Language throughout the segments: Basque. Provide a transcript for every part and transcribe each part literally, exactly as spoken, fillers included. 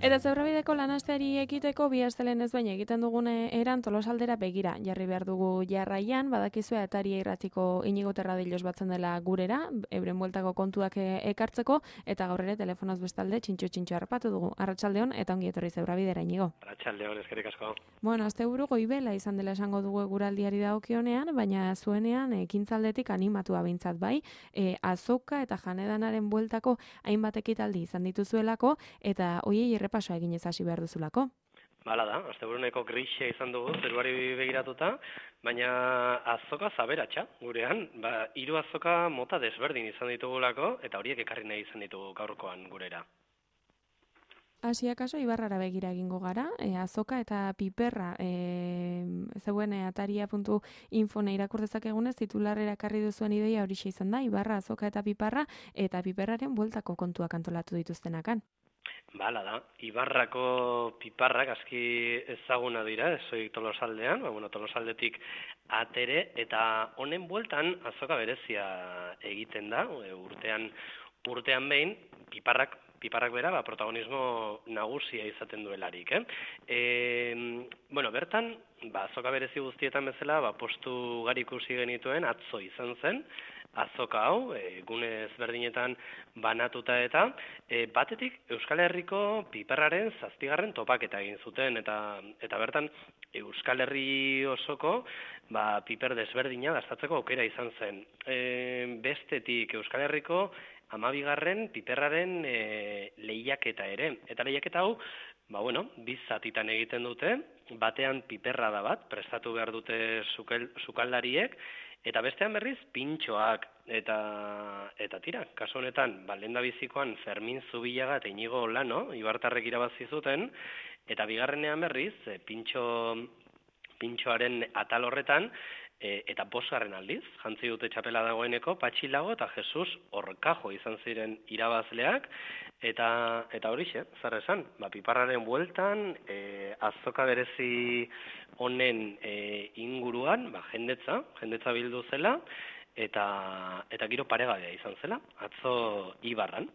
Eta Zebrabideko lanasteari ekiteko bi astelen ez baina egiten dugune eran Tolosaldera begira. Jarri behar dugu jarraian, badakizue Ataria irratiko Inigo Terradillos batzen dela gurera, euren bueltako kontuak ekartzeko, eta gaur ere telefonoz bestalde txintxo-txintxo harrapatu dugu. Arratsaldeon eta ongi etorri Zebrabidera, Inigo. Arratsaldeon, eskerrik asko. Bueno, asteburu goibela izan dela esango dugu eguraldiari dagokionean, baina zuenean ekintzaldetik animatua behintzat bai, e, azoka eta janedanaren bueltako hainbat ekitaldi izan dituzuelako, eta hoiei pasoa egin ez hasi behar duzulako. Bala da, asteburuneko grisia izan dugu, zeruari begiratuta, baina azoka zaberatxa gurean, ba, hiru azoka mota desberdin izan ditugulako, eta horiek ekarri nahi izan ditugu gaurkoan gurera. Hasi akaso Ibarrara begira egingo gara, e, azoka eta piperra, e, zeuen ataria puntu info irakur dezakegunez titularrera ekarri duzuen ideia horixe izan da, Ibarra, azoka eta piperra, eta piperraren bueltako kontuak antolatu dituztenakan. Bala da, Ibarrako piparrak aski ezaguna dira, ezoik Tolosaldean, ba, bueno, Tolosaldetik atere, eta honen bueltan azoka berezia egiten da, urtean urtean behin, piparrak Piparrak bera, ba, protagonismo nagusia izaten duelarik, eh? E, bueno, bertan, ba, azoka berezi guztietan bezala, ba, postu gari ikusi genituen atzo izan zen, azoka hau, e, gune ezberdinetan banatuta eta, e, batetik Euskal Herriko piperraren zazpigarren topaketa egin zuten, eta eta bertan Euskal Herri osoko ba, piper desberdina dastatzeko aukera izan zen. E, bestetik Euskal Herriko amabigarren piperraren e, lehiaketa ere. Eta lehiaketa hau, ba bueno, biz zatitan egiten dute, batean piperra da bat, prestatu behar dute sukaldariek, eta bestean berriz pintxoak, eta eta tira, kasu honetan, ba, lehendabizikoan Fermin Zubillaga eta Inigo Olano, Ibartarrek irabazi zuten, eta bigarrenean berriz, e, pintxo, pintxoaren atal horretan, E, eta bosgarren aldiz, jantzi dute txapela dagoeneko, Patxi Lago eta Jesus Orkajo izan ziren irabazleak, eta eta horixe, zer esan, ba, piparraren bueltan, e, azoka berezi honen e, inguruan, ba, jendetza, jendetza bildu zela, eta eta giro paregabea izan zela, atzo Ibarran.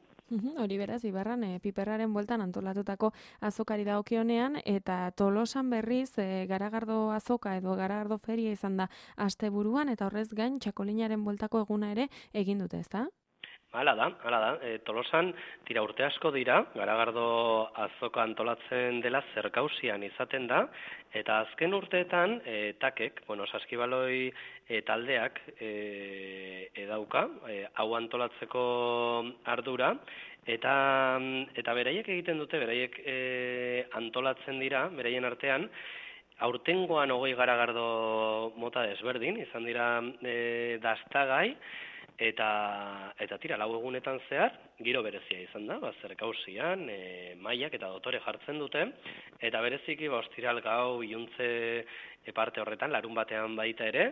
Hori beraz, Ibarran, e, piperraren bueltan antolatutako azokari dagokionean, eta Tolosan berriz e, Garagardo azoka edo Garagardo feria izan da asteburuan, eta horrez gain txakolinaren bueltako eguna ere egin dute, ezta? Hala da, hala da. E, Tolosan tira urte asko dira, Garagardo azoka antolatzen dela zerkausian izaten da, eta azken urteetan e, takek, bueno, saskibaloi e, taldeak e, edauka, e, hau antolatzeko ardura, eta eta beraiek egiten dute, beraiek e, antolatzen dira, beraien artean, aurtengoan hogei Garagardo mota desberdin, izan dira e, dastagai, Eta, eta tira, lau egunetan zehar, giro berezia izan da, ba, zerkausian, e, mailak eta dotore jartzen dute, eta bereziki, ba, ostiral gau, iuntze parte horretan, larun batean baita ere,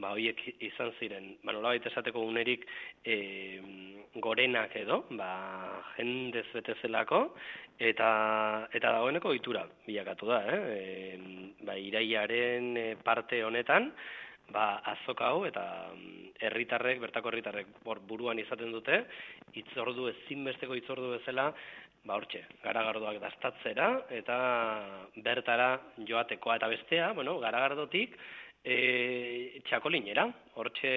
ba, horiek izan ziren, ba, nola baita esateko unerik e, gorenak edo, ba, jendez betezelako, eta, eta dagoeneko ohitura bilakatu da, eh? E, ba, iraiaren parte honetan, ba, azoka hau eta herritarrek, bertako herritarrek buruan izaten dute, hitzordu ezinbesteko hitzordu bezala, ba hortxe, Garagardoak dastatzera eta bertara joatekoa eta bestea, bueno, Garagardotik e, txakolinera, hortxe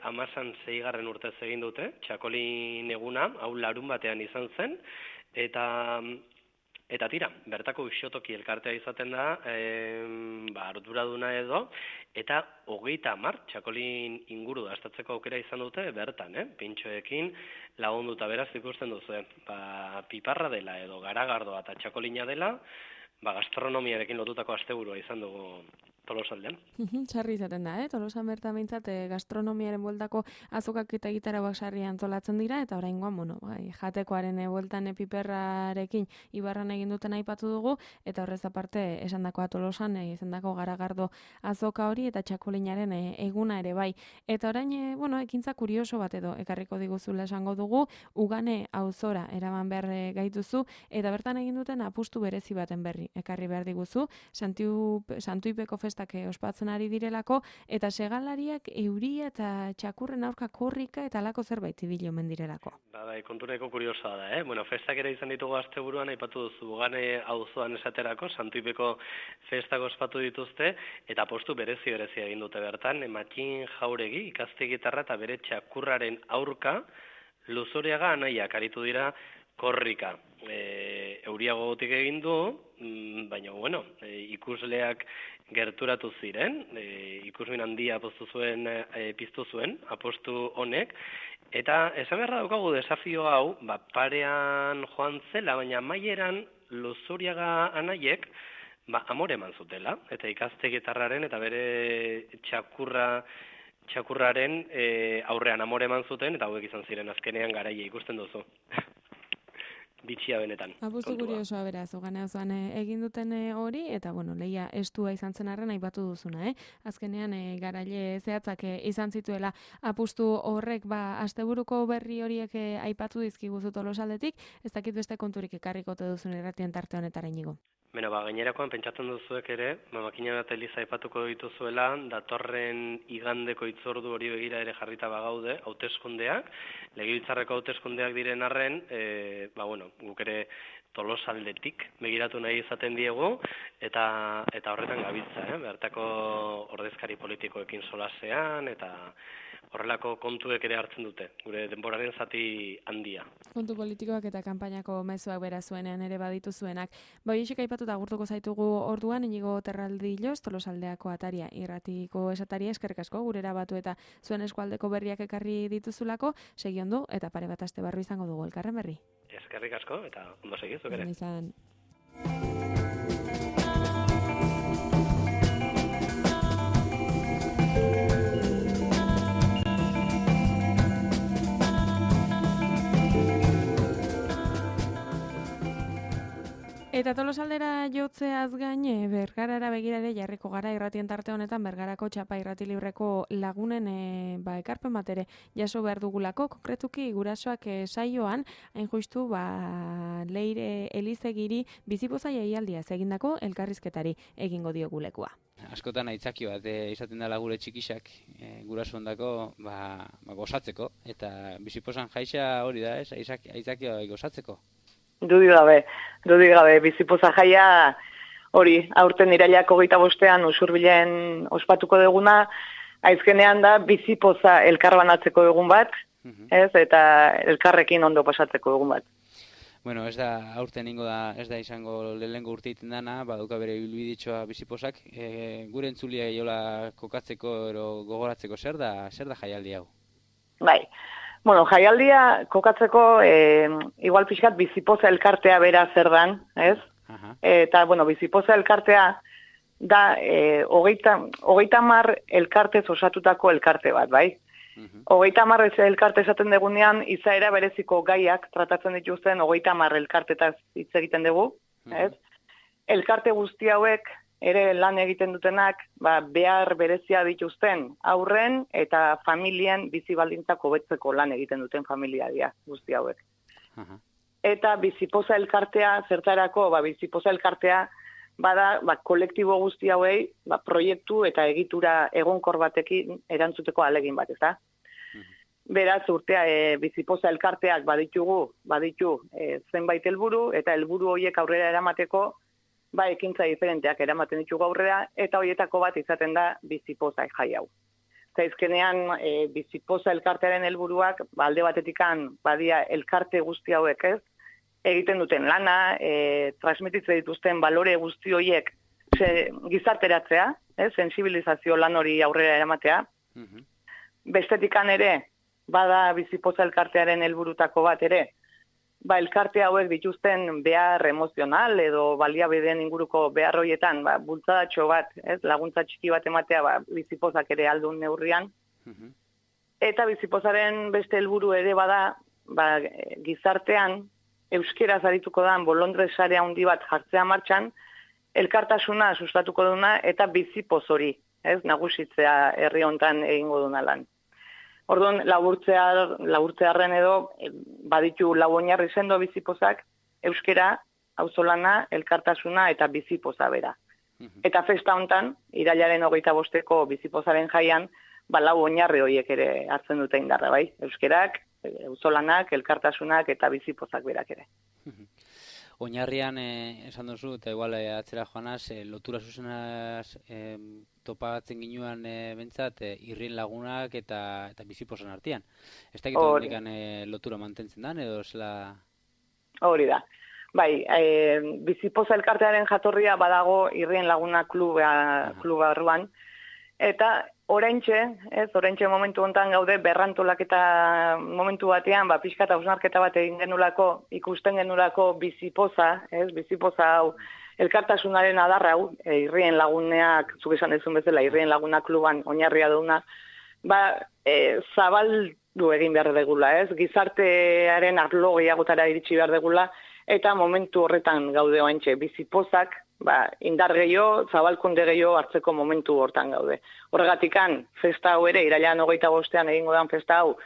amazan zeigarren urtez egin dute, txakolin eguna, hau larun batean izan zen, eta Eta tira, bertako uxotoki elkartea izaten da, e, ba, arduraduna edo, eta hogeita hamar txakolin inguru dastatzeko aukera izan dute bertan, eh? Pintxoekin lagunduta beraz ikusten duzu, ba, piparra dela edo Garagardoa eta txakolina dela, ba, gastronomiarekin lotutako asteburua izan dugu Tolosaldean. Sarri izaten da, eh? Tolosan bertan behintzat eh, gastronomiaren bueltako azokak eta gitarauak sarri antolatzen dira, eta oraingoan, bueno, bai, jatekoaren eh, bueltan piperrarekin Ibarran egin duten aipatu dugu, eta horrez aparte esandakoa Tolosan eh, izandako Garagardo azoka hori eta txakolinaren eh, eguna ere bai. Eta orain, eh, bueno, ekintza kurioso bat edo ekarriko diguzula esango dugu, Ugane auzora eraman behar eh, gaituzu, eta bertan egin duten apustu berezi baten berri ekarri behar diguzu, Santu, Santuipeko festa festak ospatzen ari direlako, eta segalariak euria eta txakurren aurka korrika eta alako zerbait ibili omen direlako. Ba, bai, kontureko kuriosoa da, eh? Bueno, festak ere izan ditugu asteburuan, aipatu duzu, Gane auzoan esaterako, Santuipeko festak ospatu dituzte, eta postu berezi berezi egin dute bertan, Matxin Jauregi, ikaste gitarra eta bere txakurraren aurka, Luzuriaga anaiak aritu dira korrika. E, euria gogotik egin du, baina, bueno, e, ikusleak gerturatu ziren, e, ikusmin handia poztu zuen, e, piztu zuen, apostu honek, eta esan beharra daukagu desafio hau, ba, parean joan zela, baina maieran Luzuriaga anaiek, ba, amore eman zutela, eta ikaste gitarraren eta bere txakurra txakurraren e, aurrean amore eman zuten, eta hauek izan ziren azkenean garaia ikusten duzu. Bitxia benetan. Apustu kuriosoa beraz, Gane auzoan egin duten hori, eta bueno, lehia estua izan zen arren aipatu duzuna, eh? Azkenean e, garaile zehatzak e, izan zituela apustu horrek, ba, asteburuko berri horiek e, aipatu dizkiguzu Tolosaldetik, ez dakit beste konturik ekarrikote duzun irratien tarte honetara inigo. Beno, ba, gainerakoan pentsatzen duzuek ere, ba, makina bat eliza aipatuko dituzuela, datorren igandeko itzordu hori begira ere jarrita bagaude, hauteskundeak, legebiltzarreko hauteskundeak diren arren, e, ba, bueno, guk ere Tolosaldetik begiratu nahi izaten diegu, eta eta horretan gabiltza, eh? Bertako ordezkari politikoekin solasean, eta horrelako kontuek ere hartzen dute, gure denboraren zati handia. Kontu politikoak eta kanpainako mezuak bera zuenean ere baditu zuenak. Bai, esik aipatuta agurtuko zaitugu orduan, Inigo Terraldillos, Tolosaldeako ataria, irratiko esataria, eskerrik asko, gurera batu eta zuen eskualdeko berriak ekarri dituzulako, segi ondo, eta pare bat aste barru izango dugu elkarren berri. Eskerrik asko, eta ondo segizuk ere. Izan. Eta Tolosaldera jotzeaz gain, Bergarara begirare jarriko gara irratien tarte honetan Bergarako txapa irrati libreko lagunen e, ba, ekarpen bat ere jaso behar dugulako, konkretuki gurasoak e, saioan, hain justu ba, Leire Elizegiri bizipoza jaialdia egindako elkarrizketari egingo diogulekua. Askotan aitzaki bat e, izaten dela gure txikisak e, guraso ondako ba, ba, gozatzeko, eta bizipozan jaixa hori da, ez? Aitzaki gozatzeko. Dudi gabe, dudi gabe, bizipoza jaia hori, aurten irailak hogeita bostean Usurbilen ospatuko duguna, aizkenean da bizipoza elkarbanatzeko egun bat, uh-huh. ez, eta elkarrekin ondo pasatzeko egun bat. Bueno, ez da aurten ingo da, ez da izango lehengo urte iten dana, baduka bere bilbiditxoa bizipozak, e, gure entzulia jola kokatzeko ero gogoratzeko zer da, zer da jaialdi hau? Bai. Bueno, jaialdia kokatzeko, e, igual pixkat bizipoza elkartea bera zer dan, ez? Aha. Eta, bueno, bizipoza elkartea da e, hogeita, hogeita mar elkartez osatutako elkarte bat, bai? Uh-huh. Hogeita mar elkarte esaten degunean, izaera bereziko gaiak tratatzen dituzten hogeita mar elkartetaz hitz egiten dugu, ez? Uh-huh. Elkarte guzti hauek ere lan egiten dutenak, ba, behar berezia dituzten aurren eta familien bizi baldintzak hobetzeko lan egiten duten familia dira guzti hauek. Uh-huh. Eta bizipoza elkartea zertarako, ba, bizipoza elkartea bada ba, kolektibo guzti hauei ba, proiektu eta egitura egonkor batekin erantzuteko alegin bat, ezta? Uh-huh. Beraz, urtea e, bizipoza elkarteak baditugu, baditu e, zenbait helburu eta helburu horiek aurrera eramateko ba, ekintza diferenteak eramaten ditugu aurrera, eta horietako bat izaten da bizipoza jai hau. Zaizkenean, e, bizipoza elkartearen helburuak, ba, alde batetikan badia elkarte guzti hauek ez, egiten duten lana, e, transmititzen dituzten balore guzti horiek ze, gizarteratzea, ez, sensibilizazio lan hori aurrera eramatea. Uh-huh. Bestetikan ere, bada bizipoza elkartearen helburutako bat ere, ba, elkarte hauek dituzten behar emozional edo baliabideen inguruko behar horietan, ba, bultzadatxo bat, ez, laguntza txiki bat ematea, ba, bizipozak ere aldun neurrian. Uh-huh. Eta bizipozaren beste helburu ere bada, ba, gizartean, euskeraz arituko dan bolondre sare handi bat jartzea martxan, elkartasuna sustatuko duna eta bizipoz hori, ez, nagusitzea herri hontan egingo duna lan. Orduan, laburtzea, laburtzearren edo, baditu lau oinarri sendo bizipozak, euskera, auzolana, elkartasuna eta bizipoza bera. Eta festa hontan, irailaren hogeita bosteko bizipozaren jaian, ba, lau oinarri horiek ere hartzen dute indarra, bai? Euskerak, auzolanak, elkartasunak eta bizipozak berak ere. Oinarrian, eh, esan duzu, eta igual eh, atzera joanaz, eh, lotura zuzenaz eh, topatzen ginuan eh, bentsat, eh, irrien lagunak eta, eta bizipozan artean. Ez da egiten eh, lotura mantentzen dan, edo zela... Hori da. Bai, e, bizipoza elkartearen jatorria badago irrien laguna kluba, kluba barruan, eta oraintxe, ez, oraintxe momentu hontan gaude berrantolaketa momentu batean, ba, pixka eta hausnarketa bat egin genulako, ikusten genulako bizipoza, ez, bizipoza hau, elkartasunaren adarra hau, e, irrien laguneak, zuk esan dezun bezala, irrien laguna kluban oinarria duna, ba, e, zabaldu egin behar degula, ez, gizartearen arlo gehiagotara iritsi behar degula, eta momentu horretan gaude oaintxe, bizipozak, ba, indar gehiago, zabalkunde gehiago hartzeko momentu hortan gaude. Horregatikan, festa hau ere, irailean hogeita bostean egingo dan festa hau,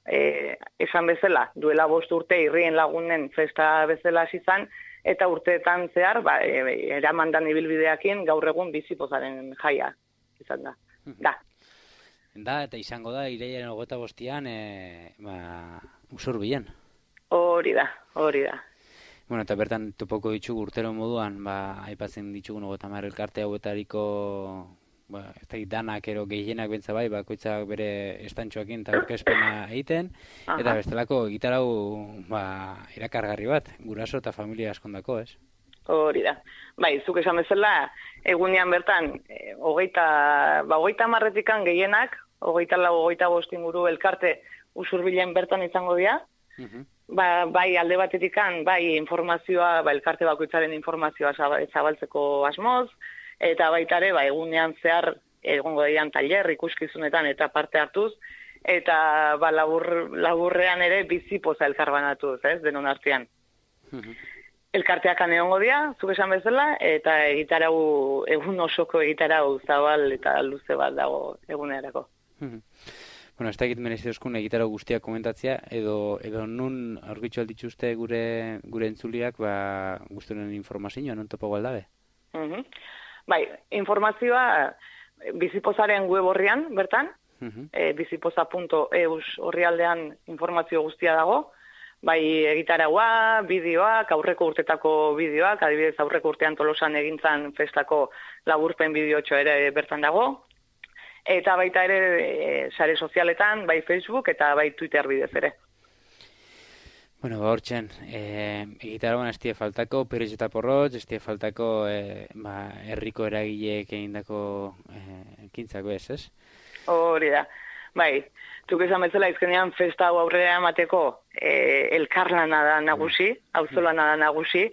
e, esan bezala, duela bost urte irrien lagunen festa bezala izan, eta urteetan zehar, ba, e, eramandan ibilbideakin, gaur egun bizipozaren jaia izan da. Da. Da, eta izango da, irailean hogeita bostean, e, ba, Usurbilen. Hori da, hori da. Bueno, eta bertan topoko ditugu urtero moduan, ba, aipatzen ditugu hogeita hamar elkarte hauetariko, ba, ez da danak ero gehienak bentsa bai, bakoitzak bere estantxoakin eta aurkezpena egiten, Aha. eta bestelako gitarau, ba, irakargarri bat, guraso eta familia askondako, ez? Hori da. Bai, zuk esan bezala, egunean bertan, e, hogeita, ba, hogeita marretikan gehienak, hogeita lau, hogeita bost inguru elkarte Usurbilen bertan izango dira, uh-huh. Ba, bai alde batetikan, bai informazioa, ba, elkarte bakoitzaren informazioa zabaltzeko asmoz, eta baitare, ba, egunean zehar, egongo daian tailer, ikuskizunetan eta parte hartuz, eta ba, labur, laburrean ere bizipoza elkarbanatuz, ez, denon artean. Uh-huh. Elkarteak egongo dira, zuk esan bezala, eta egitarau, egun osoko egitarau zabal eta luze bat dago egunerako. Uh-huh. Bueno, ez da egit merezi euskun egitaro guztiak komentatzea, edo, edo nun aurkitzu aldituzte gure, gure entzuliak, ba, guzturen informazioa, non topo galdabe? Uh-huh. Bai, informazioa bizipozaren web horrian, bertan, uh-huh. e, bizipoza punto eus horrialdean informazio guztia dago, bai egitaragua, bideoak, aurreko urtetako bideoak, adibidez aurreko urtean Tolosan egintzan festako laburpen bideotxo ere bertan dago, eta baita ere e, sare sozialetan, bai Facebook eta bai Twitter bidez ere. Bueno, ba hortzen, e, egitaragoan ez die faltako, Perez eta Porrotz, ez die faltako e, ba, herriko eragileek egindako e, ekintzako ez, ez? Hori da, bai, zuk esan betzela izkenean festa hau aurrera emateko e, elkarlana da nagusi, auzolana da nagusi,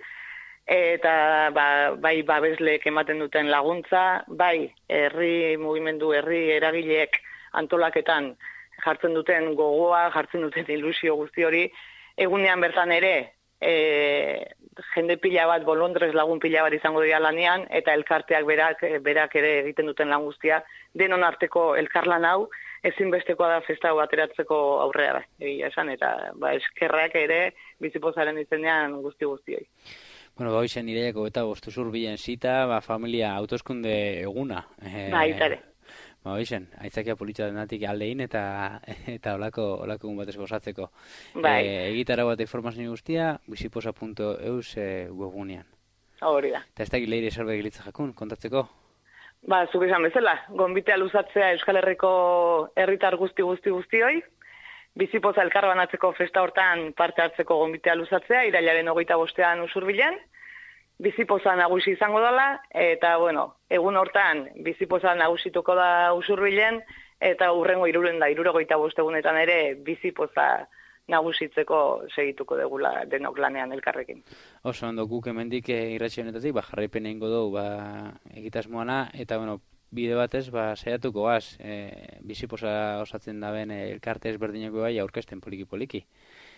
eta ba, bai babesleek ematen duten laguntza, bai herri mugimendu, herri eragileek antolaketan jartzen duten gogoa, jartzen duten ilusio guzti hori, egunean bertan ere e, jende pila bat, bolondrez lagun pila bat izango dira lanean, eta elkarteak berak, berak ere egiten duten lan guztia, denon arteko elkarlan hau, ezinbestekoa da festa hau ateratzeko aurrera, egia esan, eta ba, eskerrak ere bizipozaren izenean guzti guztioi. Bueno, ba, hoizen iraiako eta bostu Usurbilen zita, ba, familia autoskunde eguna. E, ba, itare. Ba, hoizen, aitzakia politxa denatik aldein eta eta olako, olako egun batez gozatzeko. Bai. E, egitara bat informazio guztia, bizipoza punto eus e, webunean. Hori da. Eta ez da gileire esalbe gilitza jakun, kontatzeko? Ba, zuk esan bezala, gonbitea luzatzea Euskal Herriko herritar guzti guzti guztioi, bizipoza elkarbanatzeko festa hortan parte hartzeko gonbitea luzatzea, irailaren hogeita bostean Usurbilen, bizipoza nagusi izango dela, eta, bueno, egun hortan bizipoza nagusituko da Usurbilen, eta urrengo iruren da, irurogeita bostegunetan ere bizipoza nagusitzeko segituko degula denok lanean elkarrekin. Oso, ondo guk emendik irratxe honetatik, ba, jarraipen egingo dugu, ba, egitasmoana, eta, bueno, bide batez, ba, saiatuko gaz, e, bizipoza osatzen daben e, elkarte ezberdineko bai aurkezten poliki-poliki.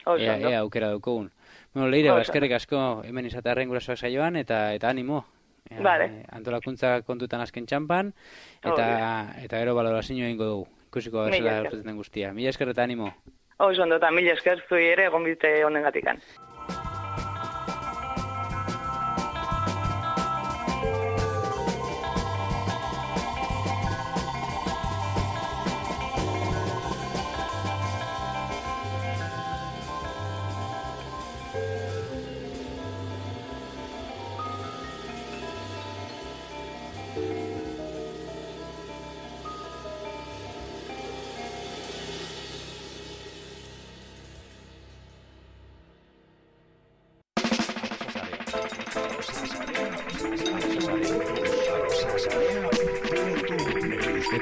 Ea, ea aukera daukogun. Bueno, Leire, baskerrik asko hemen izatearen gurasoak saioan, eta eta animo. E, vale. Antolakuntza kontutan azken txampan, eta, eta gero balorazio egingo dugu. Ikusiko gazela aurketzen den guztia. Mila esker eta animo. Oso ondo, eta mila esker zui ere gonbite honen gatikan.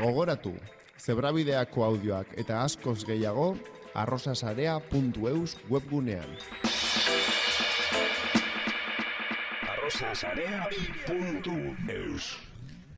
Gogoratu, zebrabideako audioak eta askoz gehiago arrosasarea puntu eus webgunean. arrosasarea puntu eus